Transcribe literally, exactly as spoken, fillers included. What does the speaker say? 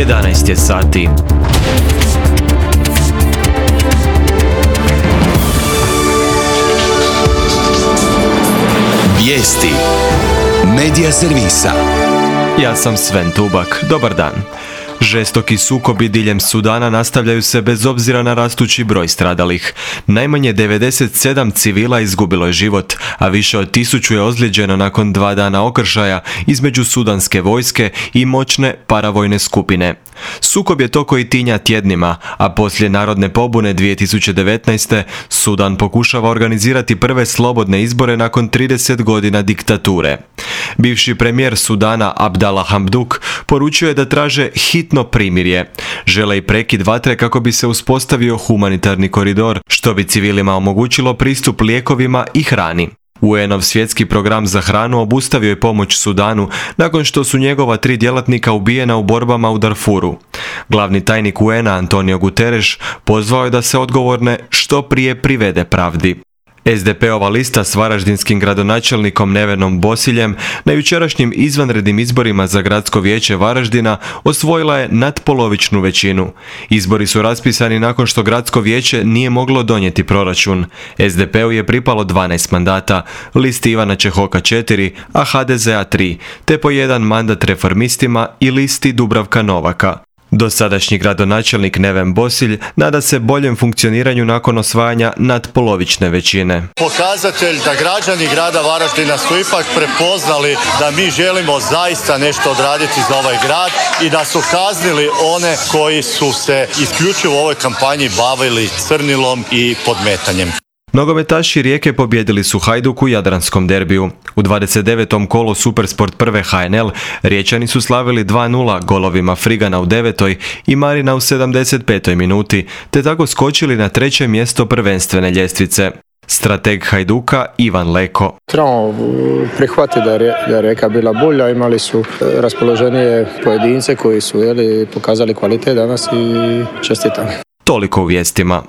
jedanaest je sati. Vijesti Medija servisa. Ja sam Sven Tubak. Dobar dan. Žestoki sukobi diljem Sudana nastavljaju se bez obzira na rastući broj stradalih. Najmanje devedeset sedam civila izgubilo je život, a više od tisuću je ozlijeđeno nakon dva dana okršaja između sudanske vojske i moćne paravojne skupine. Sukob je to koji tinja tjednima, a poslije narodne pobune dvije tisuće devetnaeste. Sudan pokušava organizirati prve slobodne izbore nakon trideset godina diktature. Bivši premijer Sudana Abdallah Hamdok poručio je da traže hitno primirje. Žele i prekid vatre kako bi se uspostavio humanitarni koridor, što bi civilima omogućilo pristup lijekovima i hrani. U en ov svjetski program za hranu obustavio je pomoć Sudanu nakon što su njegova tri djelatnika ubijena u borbama u Darfuru. Glavni tajnik u en a Antonio Guterres pozvao je da se odgovorne što prije privede pravdi. es de pe ova lista s varaždinskim gradonačelnikom Nevenom Bosiljem na jučerašnjim izvanrednim izborima za gradsko vijeće Varaždina osvojila je nadpolovičnu većinu. Izbori su raspisani nakon što gradsko vijeće nije moglo donijeti proračun. es de pe u je pripalo dvanaest mandata, listi Ivana Čehoka četiri, a ha de ze a tri, te po jedan mandat reformistima i listi Dubravka Novaka. Dosadašnji gradonačelnik Neven Bosilj nada se boljem funkcioniranju nakon osvajanja nadpolovične većine. Pokazatelj da građani grada Varaždina su ipak prepoznali da mi želimo zaista nešto odraditi za ovaj grad i da su kaznili one koji su se isključivo u ovoj kampanji bavili crnilom i podmetanjem. Nogometaši Rijeke pobjedili su Hajduk u jadranskom derbiju. U dvadeset devetom kolu Supersport prve ha en el Riječani su slavili dva nula golovima Frigana u devetoj i Marina u sedamdeset petoj minuti, te tako skočili na treće mjesto prvenstvene ljestvice. Strateg Hajduka Ivan Leko. Trebamo prihvatiti da je Rijeka bila bolja, imali su raspoloženije pojedince koji su jeli, pokazali kvalitet danas i čestitam. Toliko u vijestima.